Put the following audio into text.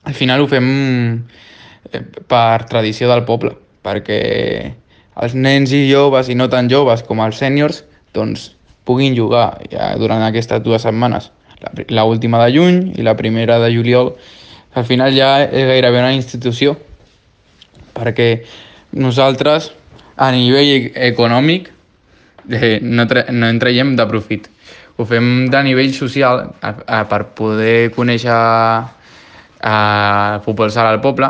al final ho fem per tradició del poble, perquè els nens i joves, i no tan joves com els sèniors, doncs puguin jugar ja durant aquestes 2 setmanes. La última de juny i la primera de juliol. Al final ja és gairebé una institució, perquè nosaltres, a nivell econòmic, no en traiem de profit. Ho fem de nivell social per poder conèixer el futbol sala al poble